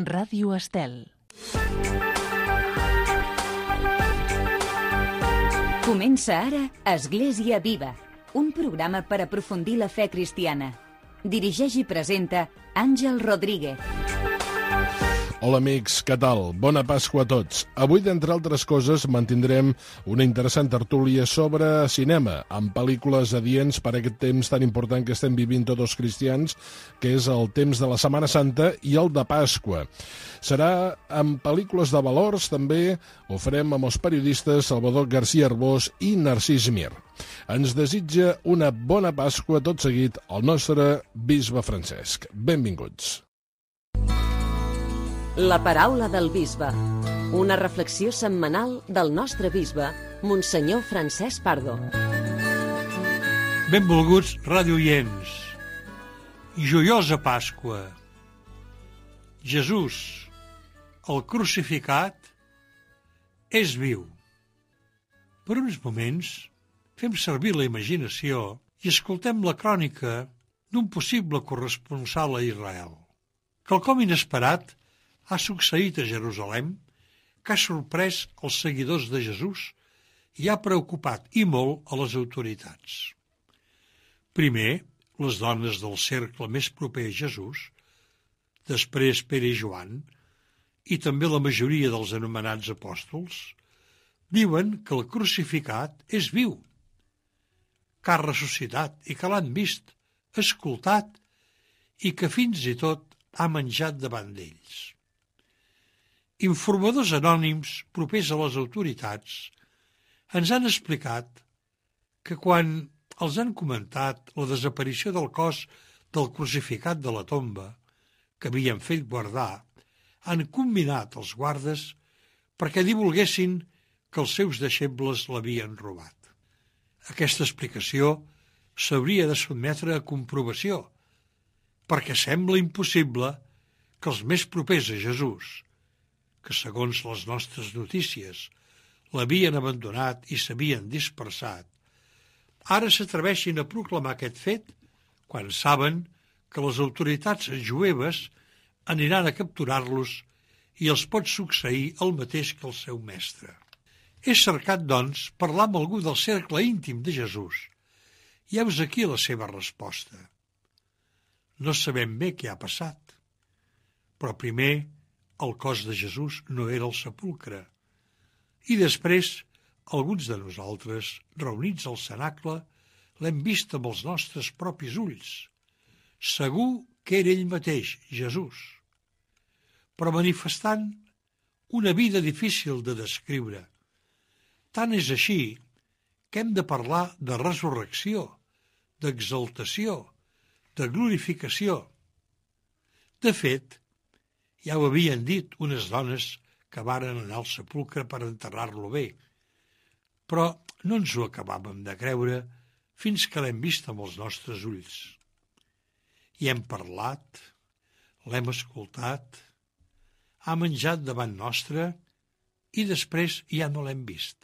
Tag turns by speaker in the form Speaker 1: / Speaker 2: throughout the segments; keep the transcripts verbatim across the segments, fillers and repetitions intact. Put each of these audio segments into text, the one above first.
Speaker 1: Ràdio Estel.
Speaker 2: Comença ara Església Viva, un programa per aprofundir la fe cristiana. Dirigeix i presenta Àngel Rodríguez.
Speaker 3: Hola amics, què tal? Bona Pasqua a tots. Avui, d'entre altres coses, mantindrem una interessant tertúlia sobre cinema, amb pel·lícules adients per a aquest temps tan important que estem vivint tots els cristians, que és el temps de la Setmana Santa i el de Pasqua. Serà amb pel·lícules de valors, també ho farem amb els periodistes Salvador García Arbós i Narcís Mir. Ens desitja una bona Pasqua tot seguit el nostre bisbe Francesc. Benvinguts.
Speaker 4: La paraula del bisbe, una reflexió setmanal del nostre bisbe, Monsenyor Francesc Pardo.
Speaker 5: Benvolguts radioients i joiosa Pasqua. Jesús, el crucificat, és viu. Per uns moments fem servir la imaginació i escoltem la crònica d'un possible corresponsal a Israel. Quelcom inesperat ha succeït a Jerusalem, que ha sorprès els seguidors de Jesús i ha preocupat i molt a les autoritats. Primer, les dones del cercle més proper a Jesús, després Pere i Joan, i també la majoria dels anomenats apòstols, diuen que el crucificat és viu, que ha ressuscitat i que l'han vist, escoltat i que fins i tot ha menjat davant d'ells. Informadors anònims propers a les autoritats ens han explicat que quan els han comentat la desaparició del cos del crucificat de la tomba que havien fet guardar, han combinat els guardes perquè divulguessin que els seus deixebles l'havien robat. Aquesta explicació s'hauria de sotmetre a comprovació, perquè sembla impossible que els més propers a Jesús, que segons les nostres notícies l'havien abandonat i s'havien dispersat, ara s'atreveixin a proclamar aquest fet quan saben que les autoritats jueves aniran a capturar-los i els pot succeir el mateix que el seu mestre. He cercat, doncs, parlar amb algú del cercle íntim de Jesús. I heus aquí la seva resposta. No sabem bé què ha passat, però primer el cos de Jesús no era al sepulcre. I després, alguns de nosaltres, reunits al cenacle, l'hem vist amb els nostres propis ulls. Segur que era ell mateix, Jesús, però manifestant una vida difícil de descriure. Tant és així que hem de parlar de resurrecció, d'exaltació, de glorificació. De fet, ja ho havien dit unes dones que varen anar al sepulcre per enterrar-lo bé, però no ens ho acabàvem de creure fins que l'hem vist amb els nostres ulls. I hem parlat, l'hem escoltat, ha menjat davant nostre i després ja no l'hem vist.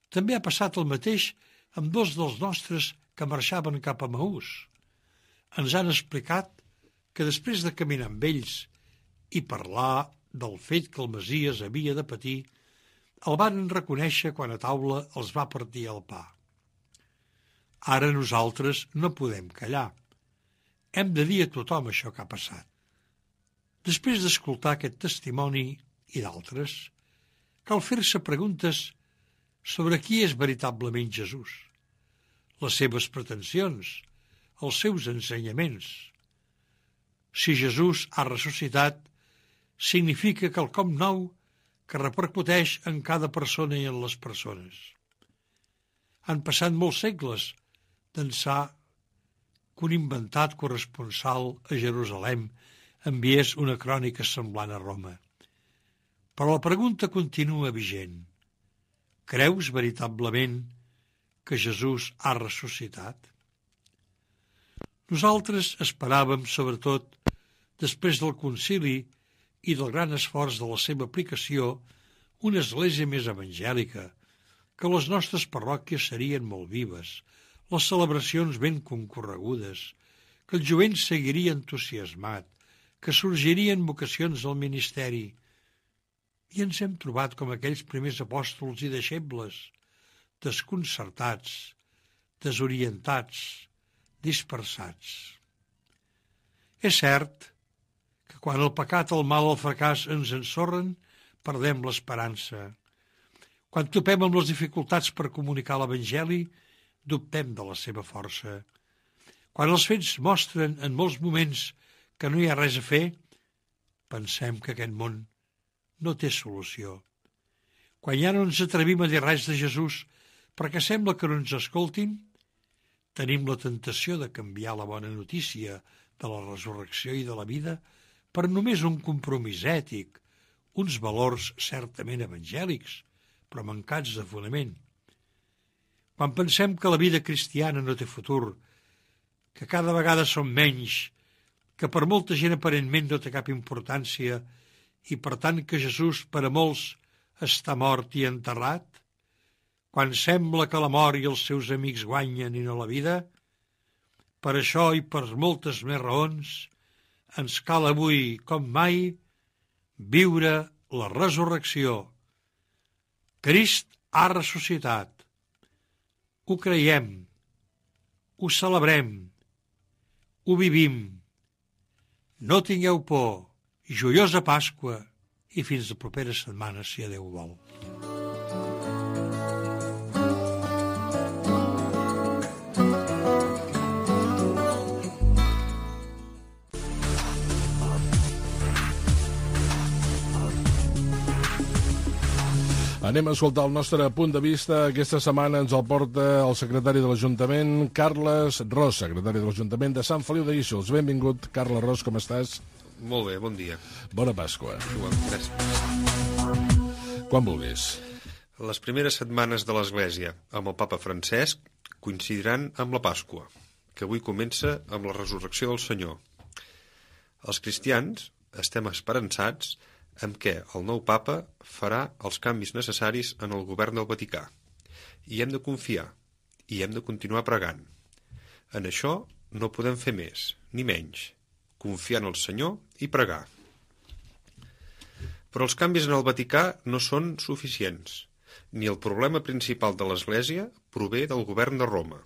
Speaker 5: També ha passat el mateix amb dos dels nostres que marxaven cap a Maús. Ens han explicat que després de caminar amb ells i parlar del fet que el Messies havia de patir, el van reconèixer quan a taula els va partir el pa. Ara nosaltres no podem callar. Hem de dir a tothom això que ha passat. Després d'escoltar aquest testimoni i d'altres, cal fer-se preguntes sobre qui és veritablement Jesús, les seves pretensions, els seus ensenyaments. Si Jesús ha ressuscitat, significa quelcom nou que repercuteix en cada persona i en les persones. Han passat molts segles d'ençà que un inventat corresponsal a Jerusalem enviés una crònica semblant a Roma. Però la pregunta continua vigent. Creus veritablement que Jesús ha ressuscitat? Nosaltres esperàvem, sobretot, després del concili i del gran esforç de la seva aplicació, una església més evangèlica, que les nostres parròquies serien molt vives, les celebracions ben concorregudes, que el jovent seguiria entusiasmat, que sorgirien vocacions al ministeri, i ens hem trobat com aquells primers apòstols i deixebles, desconcertats, desorientats, dispersats. És cert que quan el pecat, el mal, el fracàs ens ensorren, perdem l'esperança. Quan topem amb les dificultats per comunicar l'Evangeli, dubtem de la seva força. Quan els fets mostren en molts moments que no hi ha res a fer, pensem que aquest món no té solució. Quan ja no ens atrevim a dir res de Jesús perquè sembla que no ens escoltin, tenim la tentació de canviar la bona notícia de la resurrecció i de la vida per només un compromís ètic, uns valors certament evangèlics, però mancats de fonament. Quan pensem que la vida cristiana no té futur, que cada vegada som menys, que per molta gent aparentment no té cap importància i per tant que Jesús per a molts està mort i enterrat, quan sembla que la mort i els seus amics guanyen i no la vida, per això i per moltes més raons ens cal avui, com mai, viure la resurrecció. Crist ha ressuscitat. Ho creiem, ho celebrem, ho vivim. No tingueu por, joiosa Pasqua i fins la propera setmana, si Déu vol.
Speaker 3: Anem a escoltar el nostre punt de vista. Aquesta setmana ens el porta el secretari de l'Ajuntament, Carles Ros, secretari de l'Ajuntament de Sant Feliu de Guíxols. Benvingut, Carles Ros, com estàs?
Speaker 1: Molt bé, bon dia.
Speaker 3: Bona Pasqua.
Speaker 1: Igual, gràcies.
Speaker 3: Quan vulguis.
Speaker 1: Les primeres setmanes de l'Església amb el papa Francesc coincidiran amb la Pasqua, que avui comença amb la resurrecció del Senyor. Els cristians estem esperançats en què el nou papa farà els canvis necessaris en el govern del Vaticà. I hem de confiar, i hem de continuar pregant. En això no podem fer més, ni menys, confiar en el Senyor i pregar. Però els canvis en el Vaticà no són suficients, ni el problema principal de l'Església prové del govern de Roma.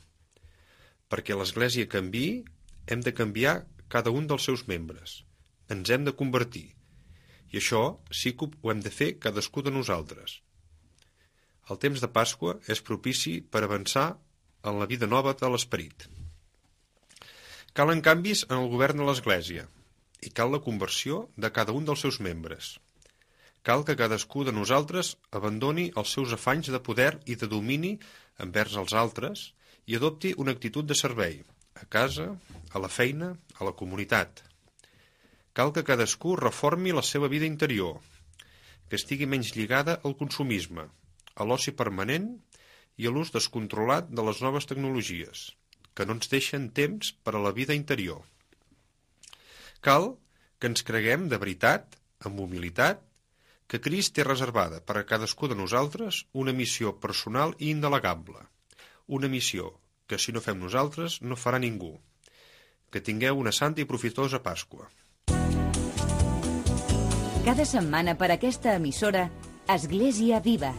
Speaker 1: Perquè l'Església canviï, hem de canviar cada un dels seus membres. Ens hem de convertir. I això sí que ho hem de fer cadascú de nosaltres. El temps de Pasqua és propici per avançar en la vida nova de l'esperit. Calen canvis en el govern de l'Església i cal la conversió de cada un dels seus membres. Cal que cadascú de nosaltres abandoni els seus afanys de poder i de domini envers els altres i adopti una actitud de servei, a casa, a la feina, a la comunitat. Cal que cadascú reformi la seva vida interior, que estigui menys lligada al consumisme, a l'oci permanent i a l'ús descontrolat de les noves tecnologies, que no ens deixen temps per a la vida interior. Cal que ens creguem de veritat, amb humilitat, que Crist té reservada per a cadascú de nosaltres una missió personal i indelegable, una missió que si no fem nosaltres no farà ningú. Que tingueu una santa i profitosa Pasqua.
Speaker 2: Cada setmana per aquesta emissora, Església Viva.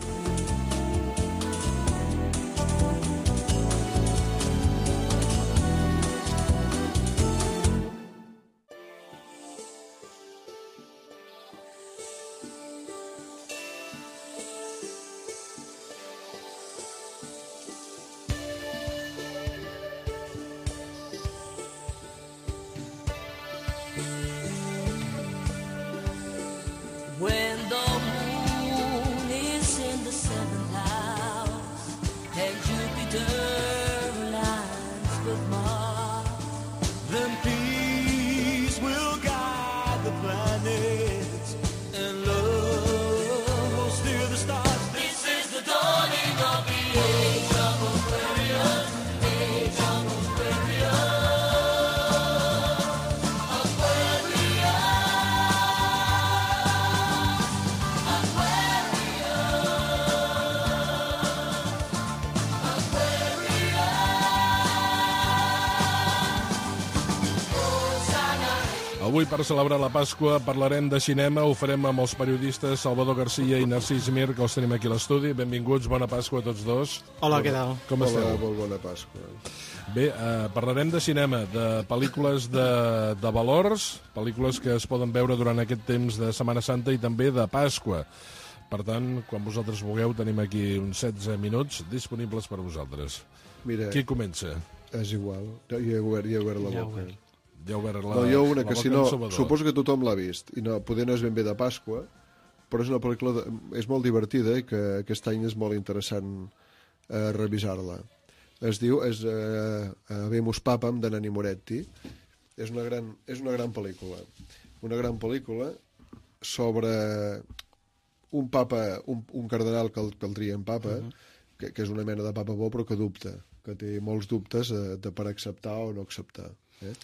Speaker 6: When the moon is in the seventh house and Jupiter aligns with Mars, then peace will guide the planets and love will steer the stars. This is the dawning of the age of Aquarius, age of Aquarius.
Speaker 3: Avui, per celebrar la Pasqua, parlarem de cinema. Ho farem amb els periodistes Salvador Garcia i Narcís Mir, que els tenim aquí a l'estudi. Benvinguts, bona Pasqua a tots dos.
Speaker 7: Hola, què tal?
Speaker 3: Com esteu?
Speaker 8: Hola, molt bona Pasqua.
Speaker 3: Bé, eh, parlarem de cinema, de pel·lícules de, de valors, pel·lícules que es poden veure durant aquest temps de Setmana Santa i també de Pasqua. Per tant, quan vosaltres vulgueu, tenim aquí uns setze minuts disponibles per vosaltres.
Speaker 8: Mira,
Speaker 3: Qui comença?
Speaker 8: és igual. Jo ja he obert, ja he obert la
Speaker 7: Ja he
Speaker 8: boca.
Speaker 7: obert.
Speaker 3: Ja heu vist la,
Speaker 8: No, jo una
Speaker 3: la
Speaker 8: que
Speaker 3: boca
Speaker 8: si
Speaker 3: en
Speaker 8: no,
Speaker 3: Salvador.
Speaker 8: suposo que tothom l'ha vist. I no, poder no és ben bé de Pasqua, però és una pel·lícula de, és molt divertida i que aquest any és molt interessant eh, revisar-la. Es diu és, eh, Habemus Papam, de Nanni Moretti. És una gran, és una gran pel·lícula. Una gran pel·lícula sobre un papa, un, un cardenal que el, que el trien papa, uh -huh. que, que és una mena de papa bo però que dubta, que té molts dubtes eh, de per acceptar o no acceptar. Eh?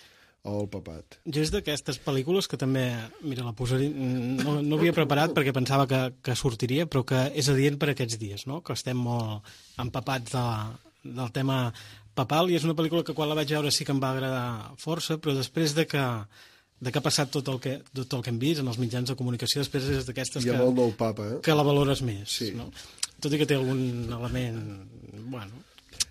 Speaker 8: O el papat.
Speaker 7: Jo és d'aquestes pel·lícules que també, mira, la posaria, no, no havia preparat perquè pensava que, que sortiria, però que és adient per aquests dies, no? Que estem molt empapats de, del tema papal, i és una pel·lícula que quan la vaig veure sí que em va agradar força, però després de que, de que ha passat tot el que, tot el que hem vist en els mitjans de comunicació, després és d'aquestes
Speaker 8: Hi ha
Speaker 7: que,
Speaker 8: molt nou papa, eh?
Speaker 7: que la valores més.
Speaker 8: Sí.
Speaker 7: No? Tot i que té algun element, bueno,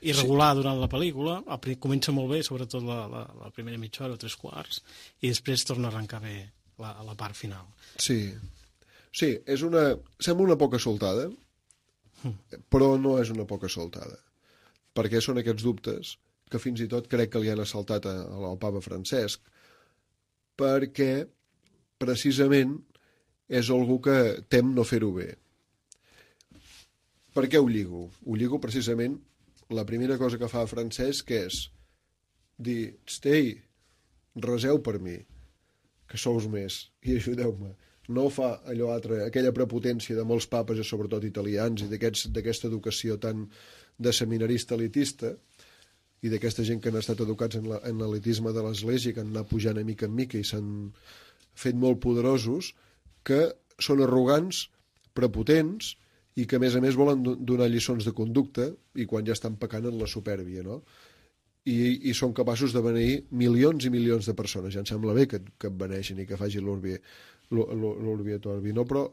Speaker 7: irregular sí. durant la pel·lícula, comença molt bé, sobretot la, la, la primera mitja hora o tres quarts, i després torna a arrencar bé la, la part final.
Speaker 8: Sí, sí, és una... sembla una poca soltada, però no és una poca soltada, perquè són aquests dubtes que fins i tot crec que li han assaltat a, al papa Francesc, perquè precisament és algú que tem no fer-ho bé. Per què ho lligo? Ho lligo precisament. La primera cosa que fa Francesc és dir, stei, reseu per mi, que sous més, i ajudeu-me. No fa allò altre, aquella prepotència de molts papes, i sobretot italians, i d'aquesta educació tan de seminarista elitista, i d'aquesta gent que han estat educats en, la, en l'elitisme de l'Església, que han anat pujant a mica en mica i s'han fet molt poderosos, que són arrogants, prepotents, i que a més a més volen donar lliçons de conducta i quan ja estan pecant en la supèrbia, no? I, i són capaços de beneir milions i milions de persones. Ja em sembla bé que, que et beneixin i que facin l'urbi et orbi, no? Però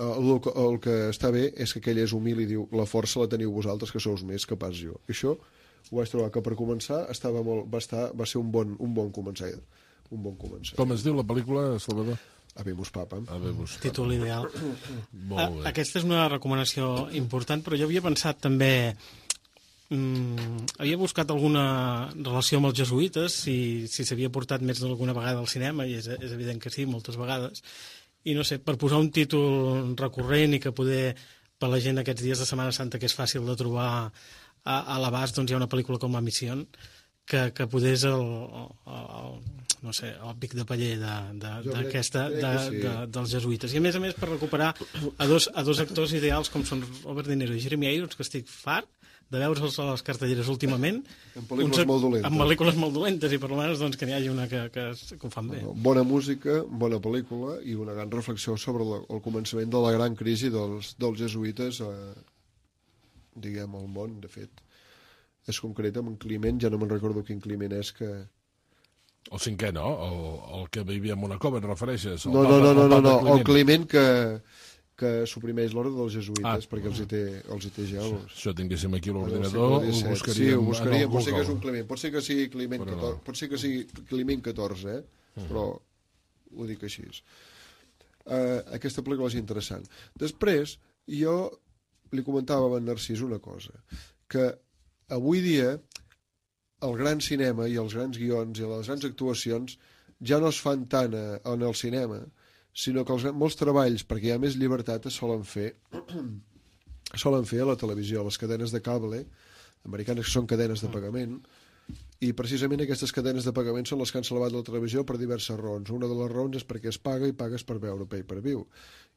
Speaker 8: el, el que està bé és que aquell és humil i diu, la força la teniu vosaltres, que sou més que pas jo. I això ho vaig trobar que per començar estava molt, va, estar, va ser un bon, un bon començar. Un bon començar.
Speaker 3: Com es diu la pel·lícula, Salvador?
Speaker 8: Habemus Papam.
Speaker 3: Habemus Papam.
Speaker 7: Títol ideal.
Speaker 3: Molt bé.
Speaker 7: Aquesta és una recomanació important, però jo havia pensat també... Mm, havia buscat alguna relació amb els jesuïtes, si si s'havia portat més d'alguna vegada al cinema, i és, és evident que sí, moltes vegades. I no sé, per posar un títol recurrent i que poder, per la gent aquests dies de Setmana Santa, que és fàcil de trobar a, a l'abast, doncs hi ha una pel·lícula com La Missió, que, que podés el, el, el, no sé, el pic de paller de, de, d'aquesta, de,
Speaker 8: sí.
Speaker 7: de, dels jesuïtes. I a més a més per recuperar a dos, a dos actors ideals com són Robert De Niro i Jeremy Irons, que estic fart de veure'ls a les cartelleres últimament.
Speaker 8: En pel·lícules
Speaker 7: uns,
Speaker 8: molt dolentes.
Speaker 7: En pel·lícules molt dolentes, i per almenys doncs, que n'hi hagi una que, que, que ho fan bé.
Speaker 8: Bona música, bona pel·lícula i una gran reflexió sobre la, el començament de la gran crisi dels, dels jesuïtes, eh, diguem, al món, de fet. És concret amb un Climent, ja no me'n recordo quin Climent és que...
Speaker 3: El cinquè, no? El, el que vivia a una cova, et refereixes? El
Speaker 8: no,
Speaker 3: papa,
Speaker 8: no, no, no,
Speaker 3: el,
Speaker 8: no,
Speaker 3: Climent.
Speaker 8: el Climent que, que suprimeix l'ordre dels jesuïtes,
Speaker 3: Ah.
Speaker 8: perquè els hi té, els hi té ja... Els...
Speaker 3: Això tinguéssim aquí a
Speaker 8: del
Speaker 3: l'ordinador, ho
Speaker 8: segle disset.
Speaker 3: buscaríem,
Speaker 8: Sí, ho buscaríem,
Speaker 3: en el
Speaker 8: pot ser que és un
Speaker 3: Google.
Speaker 8: Climent, pot ser que sigui Climent
Speaker 3: Però no.
Speaker 8: catorze, pot ser que sigui Climent catorze, eh?
Speaker 3: Mm.
Speaker 8: Però ho dic així. Uh, aquesta pel·lícula és interessant. Després, jo li comentava a en Narcís una cosa, que avui dia el gran cinema i els grans guions i les grans actuacions ja no es fan tant a, en el cinema, sinó que els, molts treballs, perquè hi ha més llibertat, es solen fer solen fer a la televisió, a les cadenes de cable americanes, que són cadenes de pagament, i precisament aquestes cadenes de pagament són les que han salvat la televisió per diverses raons. Una de les raons és perquè es paga i pagues per veure pay-per-view,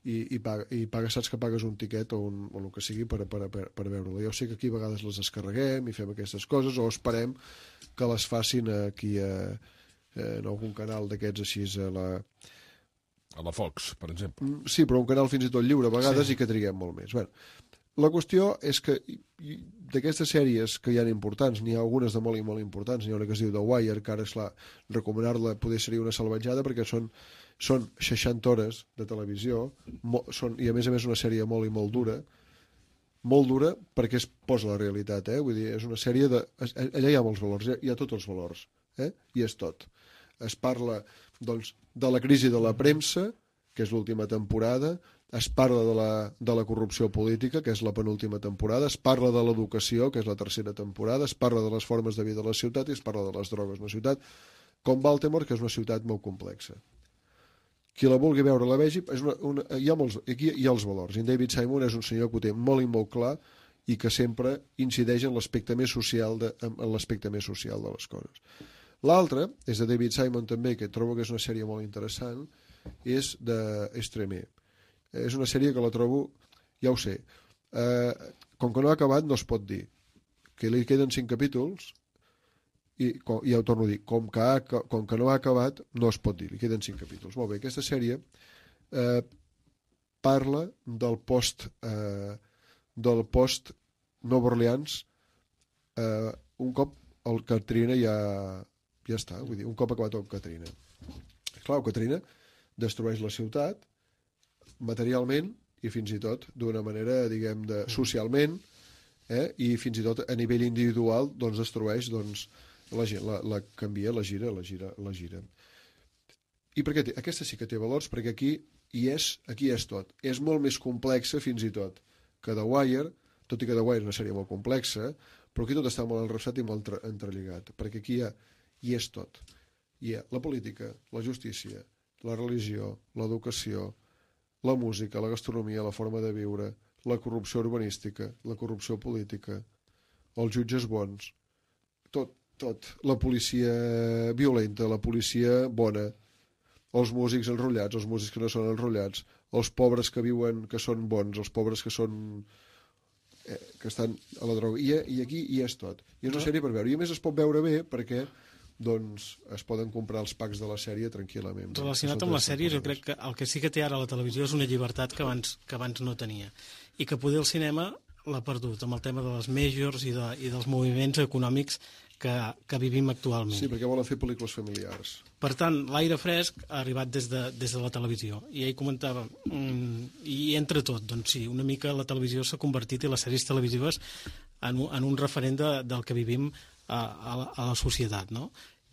Speaker 8: i, i, paga, i pagues, saps que pagues un tiquet o, un, o el que sigui per, per, per, per veure-la. Jo sé que aquí a vegades les descarreguem i fem aquestes coses, o esperem que les facin aquí a, en algun canal d'aquests així a la...
Speaker 3: A la Fox, per exemple.
Speaker 8: Sí, però un canal fins i tot lliure a vegades, sí. I que triguem molt més. Bueno, La qüestió és que d'aquestes sèries que hi ha importants, n'hi ha algunes de molt i molt importants, n'hi ha una que es diu The Wire, que ara, esclar, recomanar-la poder seria una salvatjada perquè són, són seixanta hores de televisió, mo, són, i a més a més una sèrie molt i molt dura, molt dura perquè es posa la realitat, eh? Vull dir, és una sèrie de... Allà hi ha molts valors, hi ha tots els valors, eh? I és tot. Es parla, doncs, de la crisi de la premsa, que és l'última temporada, es parla de la, de la corrupció política, que és la penúltima temporada, es parla de l'educació, que és la tercera temporada, es parla de les formes de vida de la ciutat i es parla de les drogues en la ciutat, com Baltimore, que és una ciutat molt complexa. Qui la vulgui veure la vegi, és una, una, hi ha molts, aquí hi ha els valors. I en David Simon és un senyor que ho té molt i molt clar i que sempre incideix en l'aspecte més social de, en l'aspecte més social de les coses. L'altre és de David Simon també, que trobo que és una sèrie molt interessant, és de Extreme. És una sèrie que la trobo, ja ho sé, eh, com que no ha acabat no es pot dir, que li queden cinc capítols, i com, ja ho torno a dir, com que, ha, com que no ha acabat no es pot dir, li queden cinc capítols. Molt bé, aquesta sèrie eh, parla del post eh, del post Nova Orleans eh, un cop el Katrina ja, ja està, vull dir, un cop acabat el Katrina. Clar, el Katrina destrueix la ciutat materialment i fins i tot d'una manera, diguem, de, socialment, eh? I fins i tot a nivell individual doncs destrueix, doncs, la, la, la canvia, la gira, la gira, la gira. I per què té? Aquesta sí que té valors, perquè aquí hi és, aquí és tot. És molt més complexa fins i tot que The Wire, tot i que The Wire és una sèrie molt complexa, però aquí tot està molt enrosat i molt entrelligat, perquè aquí hi, ha, hi és tot. Hi ha la política, la justícia, la religió, l'educació, la música, la gastronomia, la forma de viure, la corrupció urbanística, la corrupció política, els jutges bons, tot, tot. La policia violenta, la policia bona, els músics enrotllats, els músics que no són enrotllats, els pobres que viuen, que són bons, els pobres que són... Eh, que estan a la droga. I, i aquí hi és tot. I és una sèrie per veure. I a més es pot veure bé perquè doncs es poden comprar els packs de la sèrie tranquil·lament.
Speaker 7: Relacionat amb la sèrie, jo crec que el que sí que té ara la televisió és una llibertat que abans, que abans no tenia. I que poder el cinema l'ha perdut, amb el tema de les majors i, de, i dels moviments econòmics que, que vivim actualment.
Speaker 8: Sí, perquè volen fer pel·lícules familiars.
Speaker 7: Per tant, l'aire fresc ha arribat des de, des de la televisió. I ell comentava, mm, i entre tot, doncs sí, una mica la televisió s'ha convertit, i les sèries televisives, en, en un referent de, del que vivim a, a, la, a la societat, no?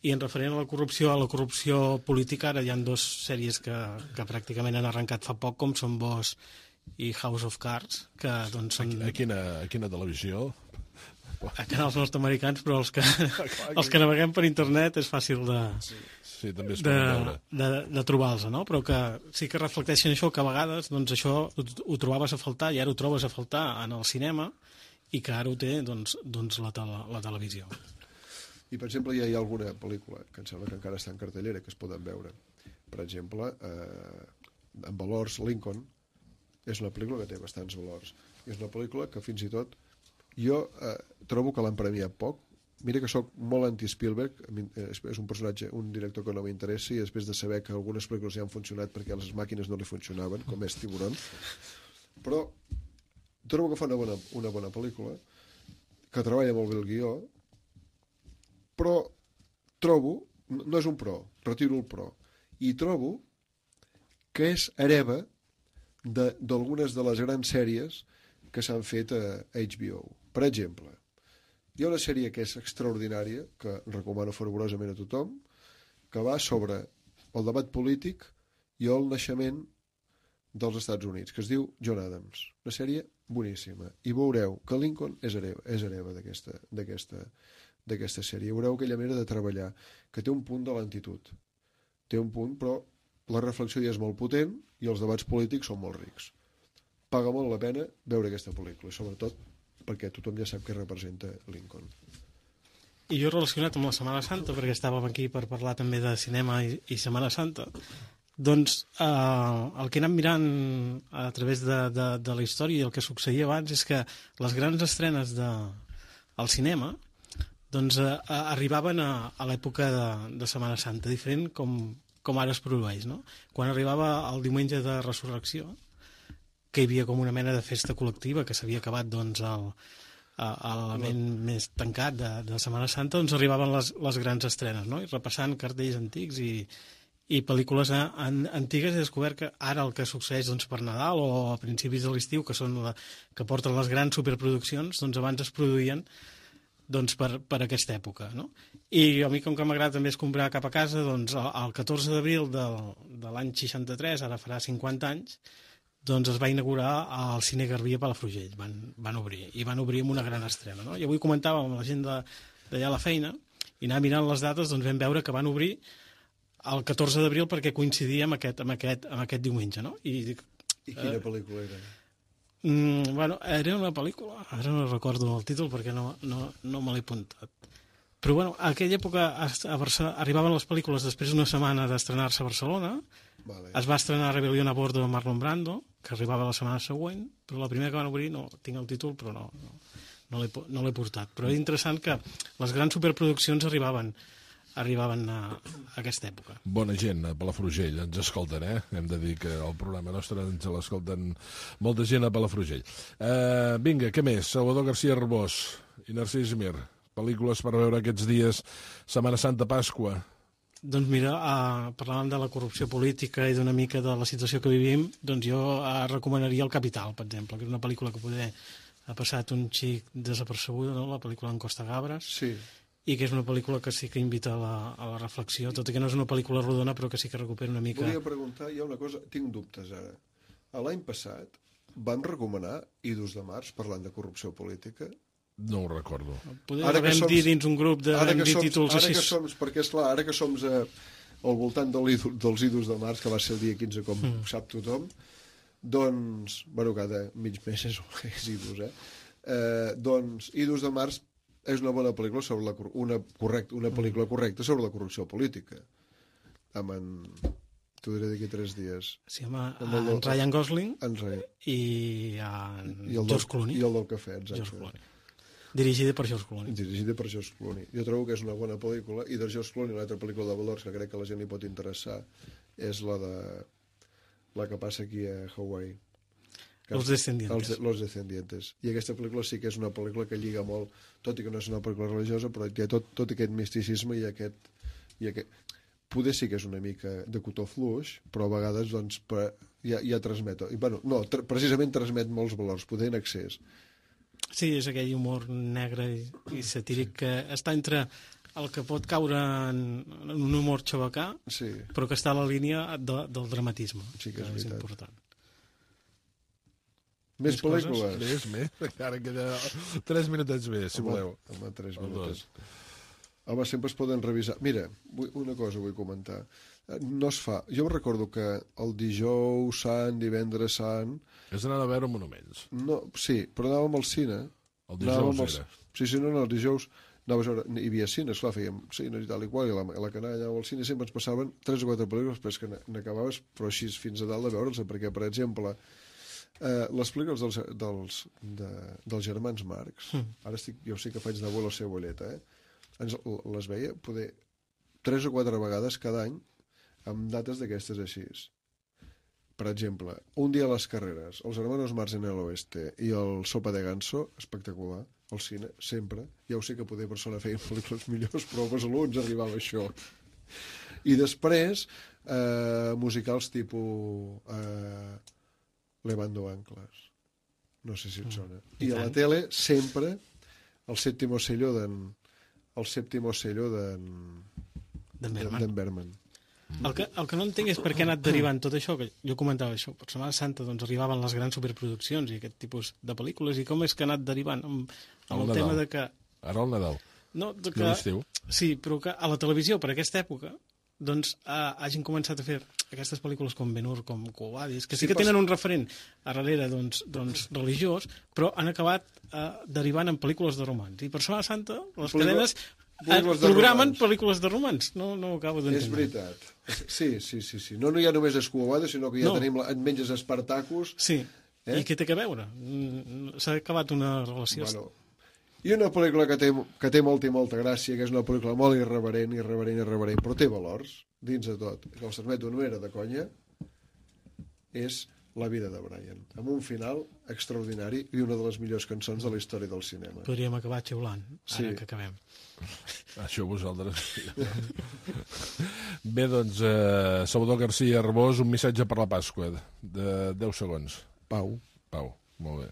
Speaker 7: I en referent a la corrupció, a la corrupció política, ara hi ha dues sèries que, que pràcticament han arrencat fa poc, com són Boss i House of Cards, que doncs són...
Speaker 3: A quina, a quina televisió?
Speaker 7: A canals nord-americans, però els que, els que naveguem per internet és fàcil de,
Speaker 3: sí, sí, també es
Speaker 7: de, de, de trobar-los, no? Però que sí que reflecteixen això, que a vegades doncs, això ho, ho trobaves a faltar i ara ho trobes a faltar en el cinema i que ara ho té doncs, doncs la, tele, la televisió.
Speaker 8: I, per exemple, ja hi ha alguna pel·lícula que em sembla que encara està en cartellera que es poden veure. Per exemple, eh, en valors, Lincoln és una pel·lícula que té bastants valors. I és una pel·lícula que fins i tot jo eh, trobo que l'han premiat poc. Mira que sóc molt anti-Spielberg, és un personatge, un director que no m'interessa, i després de saber que algunes pel·lícules ja han funcionat perquè les màquines no li funcionaven, com és Tiburon, però trobo que fa una bona, una bona pel·lícula, que treballa molt bé el guió, però trobo, no és un pro, retiro el pro, i trobo que és hereva d'algunes de, de les grans sèries que s'han fet a H B O. Per exemple, hi ha una sèrie que és extraordinària, que recomano fervorosament a tothom, que va sobre el debat polític i el naixement dels Estats Units, que es diu John Adams. Una sèrie boníssima. I veureu que Lincoln és hereva, és hereva d'aquesta d'aquesta d'aquesta sèrie. Veureu aquella manera de treballar, que té un punt de lentitud. Té un punt, però la reflexió ja és molt potent i els debats polítics són molt rics. Paga molt la pena veure aquesta pel·lícula, sobretot perquè tothom ja sap què representa Lincoln.
Speaker 7: I jo relacionat amb la Setmana Santa, perquè estàvem aquí per parlar també de cinema i, i Setmana Santa, doncs eh, el que he anat mirant a través de, de, de la història i el que succeïa abans és que les grans estrenes de, al cinema doncs eh, arribaven a, a l'època de, de Setmana Santa, diferent com, com ara es produeix, no? Quan arribava el diumenge de Resurrecció, que hi havia com una mena de festa col·lectiva, que s'havia acabat doncs el, a, a l'element més tancat de, de Setmana Santa, doncs arribaven les, les grans estrenes, no? I repassant cartells antics i, i pel·lícules a, an, antigues he descobert que ara el que succeeix doncs, per Nadal o a principis de l'estiu, que són la, que porten les grans superproduccions, doncs abans es produïen doncs, per, per aquesta època, no? I a mi, com que m'agrada també és comprar cap a casa, doncs el, el catorze d'abril del, de l'any seixanta-tres, ara farà cinquanta anys, doncs es va inaugurar al Cine Garbí a Palafrugell, van, van obrir, i van obrir amb una gran estrena, no? I avui comentàvem amb la gent d'allà a la feina, i anar mirant les dates, doncs vam veure que van obrir el catorze d'abril perquè coincidia amb aquest, amb aquest, amb aquest diumenge, no? I, dic,
Speaker 8: I quina eh, pel·lícula era?
Speaker 7: Mm, bueno, era una pel·lícula, ara no recordo el títol perquè no, no, no me l'he apuntat. Però bueno, a aquella època a, a Barcelona, arribaven les pel·lícules després d'una setmana d'estrenar-se a Barcelona, vale. Es va estrenar Rebelión a bordo de Marlon Brando, que arribava la setmana següent, però la primera que van obrir, no tinc el títol, però no, no, no l'he no l'he portat. Però és interessant que les grans superproduccions arribaven arribaven a, a aquesta època.
Speaker 3: Bona gent a Palafrugell, ens escolten, eh? Hem de dir que el programa nostre ens l'escolten molta gent a Palafrugell. Uh, vinga, què més? Salvador García Arbós i Narcís Mir, pel·lícules per veure aquests dies, Setmana Santa, Pasqua.
Speaker 7: Doncs mira, uh, parlàvem de la corrupció política i d'una mica de la situació que vivim, doncs jo uh, recomanaria El Capital, per exemple, que és una pel·lícula que poder ha passat un xic desapercebuda, no? La pel·lícula en Costa Gabres. Sí. I que és una pel·lícula que sí que invita a la, a la reflexió, tot i que no és una pel·lícula rodona, però que sí que recupera una mica...
Speaker 8: Volia preguntar, hi ha una cosa, tinc dubtes ara. L'any passat vam recomanar Idus de març parlant de corrupció política?
Speaker 3: No ho recordo.
Speaker 7: Podem haver som, dir dins un grup de vam dir títols
Speaker 8: ara
Speaker 7: així...
Speaker 8: Que som, perquè, esclar, ara que som a, al voltant del, dels Idus de març, que va ser el dia quinze, com mm. sap tothom, doncs, bueno, cada mig mes és, és Idus, eh? eh? Doncs Idus de març és una bona pel·lícula sobre la, una, correcta, una pel·lícula correcta sobre la corrupció política. Amb en... T'ho diré d'aquí tres dies.
Speaker 7: Sí, home, amb el, en Ryan Gosling
Speaker 8: en Ryan.
Speaker 7: i en
Speaker 8: I el
Speaker 7: George Clooney.
Speaker 8: I el del cafè, exacte.
Speaker 7: Dirigida per George Clooney.
Speaker 8: Dirigida per George Clooney. Jo trobo que és una bona pel·lícula, i de George Clooney, una altra pel·lícula de valors que crec que a la gent li pot interessar, és la de la que passa aquí a Hawaii.
Speaker 7: Los Descendientes.
Speaker 8: Els, los Descendientes. I aquesta pel·lícula sí que és una pel·lícula que lliga molt, tot i que no és una pel·lícula religiosa, però té tot, tot aquest misticisme i aquest, i aquest... Poder sí que és una mica de cotó fluix, però a vegades doncs, per, ja, ja transmet... I, bueno, no, tra precisament transmet molts valors, poder en excés.
Speaker 7: Sí, és aquell humor negre i, i satíric que està entre el que pot caure en, en un humor xabacà, sí. Però que està a la línia de, del dramatisme, sí que és, que és important.
Speaker 8: Més, més pel·lícules?
Speaker 3: Més, més. Encara queda tres minutets més, si
Speaker 8: home,
Speaker 3: voleu.
Speaker 8: Home, tres minutets. Home, sempre es poden revisar. Mira, vull, una cosa vull comentar. No es fa. Jo recordo que el dijous sant, divendres sant...
Speaker 3: És anar a veure monuments.
Speaker 8: No, sí, però anàvem al cine.
Speaker 3: El dijous
Speaker 8: els...
Speaker 3: era.
Speaker 8: Sí, sí, no, no, el dijous... Anaves a veure, hi havia cines, clar, fèiem cines i tal i qual, i a la, a la canalla o al cine sempre ens passaven tres o quatre pel·lícules, després que n'acabaves, però així fins a dalt de veure'ls, perquè, per exemple... Uh, les pel·lícules dels, dels, de, dels germans Marx, mm. ara estic, jo sé que faig d'abuelo cebolleta, eh? Ens, les veia poder tres o quatre vegades cada any amb dates d'aquestes així. Per exemple, Un dia a les carreres, Els hermanos Marx en el oeste i el Sopa de ganso, espectacular, al cine, sempre. Ja ho sé que poder persona feien pel·lícules millors, però a Besalú ens arribava això. I després, eh, musicals tipus... Eh, Levando anclas. No sé si et sona. Mm. I, I a la tele, sempre, el sèptimo sello d'en... El sèptimo sello d'en...
Speaker 7: D'en Berman.
Speaker 8: Berman.
Speaker 7: El que, el que no entenc és per què ha anat derivant tot això, que jo comentava això, per Setmana Santa doncs, arribaven les grans superproduccions i aquest tipus de pel·lícules, i com és que ha anat derivant amb, amb el, el tema de que...
Speaker 3: Ara el Nadal.
Speaker 7: No, de que...
Speaker 3: l'estiu.
Speaker 7: Sí, però que a la televisió, per aquesta època, doncs eh, hagin començat a fer aquestes pel·lícules com Ben-Hur, com Quo Vadis, que sí, sí que tenen un referent a darrere doncs, doncs, religiós, però han acabat eh, derivant en pel·lícules de romans. I per Setmana Santa les cadenes eh, programen romans. Pel·lícules de romans. No, no ho acabo d'entendre.
Speaker 8: És veritat. Sí, sí, sí, sí. No, no hi ha només Quo Vadis, sinó que ja no. tenim en menges Espartacus.
Speaker 7: Sí, eh? I què té que veure? S'ha acabat una relació...
Speaker 8: Bueno, i una pel·lícula que té, que té molta i molta gràcia, que és una pel·lícula molt irreverent, irreverent, irreverent, però té valors, dins de tot, que els transmeto no era de conya, és La vida de Brian, amb un final extraordinari i una de les millors cançons de la història del cinema.
Speaker 7: Podríem acabar xiulant, ara
Speaker 8: Sí.
Speaker 7: que acabem.
Speaker 3: Això vosaltres. Bé, doncs, eh, Salvador García Arbós, un missatge per la Pasqua, de deu segons.
Speaker 8: Pau.
Speaker 3: Pau, molt bé.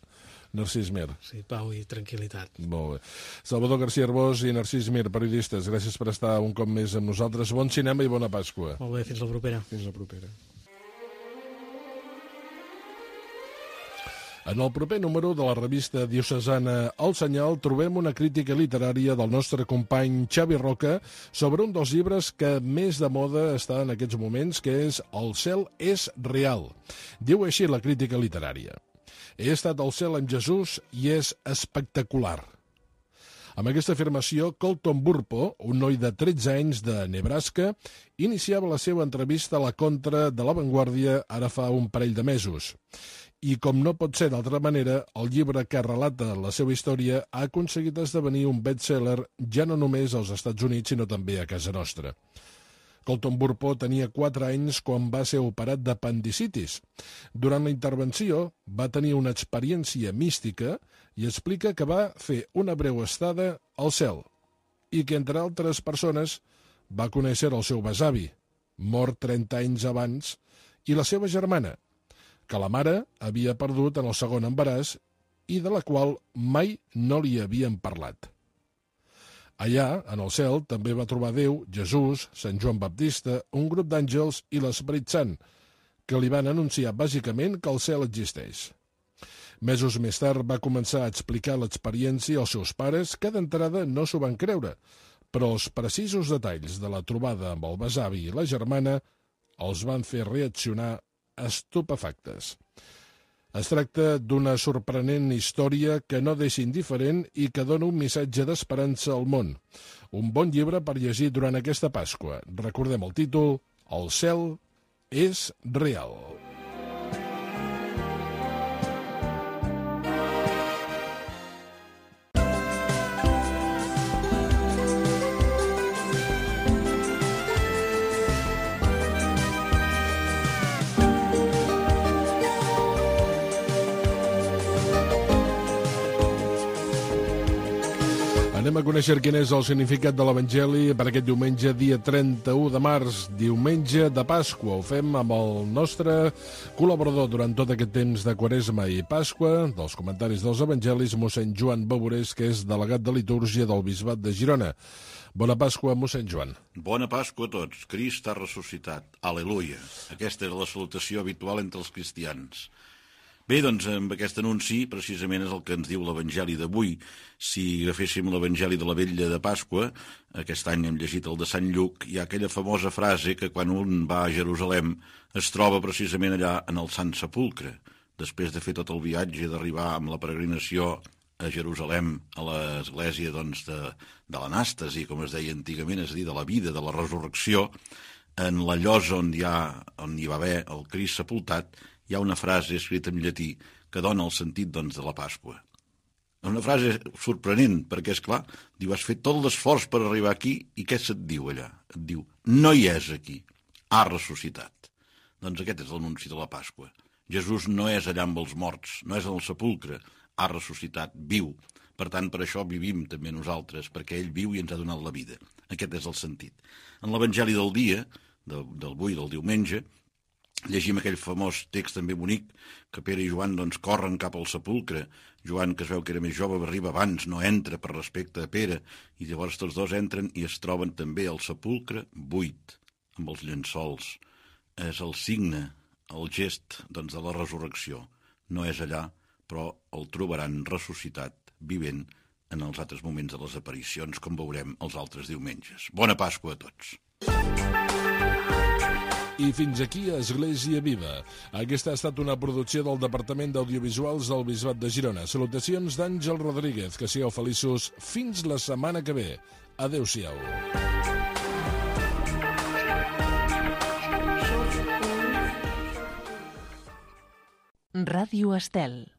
Speaker 3: Narcís Mir.
Speaker 7: Sí, pau i tranquil·litat.
Speaker 3: Molt bé. Salvador García Arbós i Narcís Mir, periodistes, gràcies per estar un cop més amb nosaltres. Bon cinema i bona Pasqua.
Speaker 7: Molt bé, fins la propera.
Speaker 8: Fins la propera.
Speaker 3: En el proper número de la revista diocesana El Senyal trobem una crítica literària del nostre company Xavi Roca sobre un dels llibres que més de moda està en aquests moments, que és El cel és real. Diu així la crítica literària. He estat al cel amb Jesús i és espectacular. Amb aquesta afirmació, Colton Burpo, un noi de tretze anys de Nebraska, iniciava la seva entrevista a la Contra de La Vanguardia ara fa un parell de mesos. I com no pot ser d'altra manera, el llibre que relata la seva història ha aconseguit esdevenir un best-seller ja no només als Estats Units, sinó també a casa nostra. Colton Burpo tenia quatre anys quan va ser operat d'apendicitis. Durant la intervenció va tenir una experiència mística i explica que va fer una breu estada al cel i que, entre altres persones, va conèixer el seu besavi, mort trenta anys abans, i la seva germana, que la mare havia perdut en el segon embaràs i de la qual mai no li havien parlat. Allà, en el cel, també va trobar Déu, Jesús, Sant Joan Baptista, un grup d'àngels i l'Esperit Sant, que li van anunciar bàsicament que el cel existeix. Mesos més tard va començar a explicar l'experiència als seus pares, que d'entrada no s'ho van creure, però els precisos detalls de la trobada amb el besavi i la germana els van fer reaccionar estupefactes. Es tracta d'una sorprenent història que no deixa indiferent i que dona un missatge d'esperança al món. Un bon llibre per llegir durant aquesta Pasqua. Recordem el títol, El cel és real. Anem a conèixer quin és el significat de l'Evangeli per aquest diumenge, dia trenta-u de març, diumenge de Pasqua. Ho fem amb el nostre col·laborador durant tot aquest temps de Quaresma i Pasqua, dels comentaris dels Evangelis, mossèn Joan Baborés, que és delegat de litúrgia del Bisbat de Girona. Bona Pasqua, mossèn Joan.
Speaker 9: Bona Pasqua a tots. Crist ha ressuscitat. Aleluia. Aquesta és la salutació habitual entre els cristians. Bé, doncs, amb aquest anunci, precisament és el que ens diu l'Evangeli d'avui. Si agaféssim l'Evangeli de la Vetlla de Pasqua, aquest any hem llegit el de Sant Lluc, hi ha aquella famosa frase que quan un va a Jerusalem es troba precisament allà en el Sant Sepulcre. Després de fer tot el viatge, d'arribar amb la peregrinació a Jerusalem, a l'església doncs, de, de l'anàstasi, com es deia antigament, és a dir, de la vida, de la resurrecció, en la llosa on hi, ha, on hi va haver el Crist sepultat, hi ha una frase escrita en llatí que dona el sentit doncs, de la Pasqua. Una frase sorprenent, perquè, és clar, diu, has fet tot l'esforç per arribar aquí, i què se't diu allà? Et diu, no hi és aquí, ha ressuscitat. Doncs aquest és l'anunci de la Pasqua. Jesús no és allà amb els morts, no és en el sepulcre, ha ressuscitat, viu. Per tant, per això vivim també nosaltres, perquè ell viu i ens ha donat la vida. Aquest és el sentit. En l'Evangeli del dia, del, del avui, del diumenge, llegim aquell famós text també bonic que Pere i Joan doncs, corren cap al sepulcre. Joan, que es veu que era més jove, arriba abans, no entra per respecte a Pere, i llavors tots dos entren i es troben també al sepulcre buit, amb els llençols. És el signe, el gest doncs, de la resurrecció. No és allà, però el trobaran ressuscitat, vivent, en els altres moments de les aparicions, com veurem els altres diumenges. Bona Pasqua a tots!
Speaker 3: I fins aquí Església Viva. Aquesta ha estat una producció del Departament d'Audiovisuals del Bisbat de Girona. Salutacions d'Àngel Rodríguez. Que sigueu feliços fins la setmana que ve. Adéu-siau.
Speaker 10: Ràdio Estel.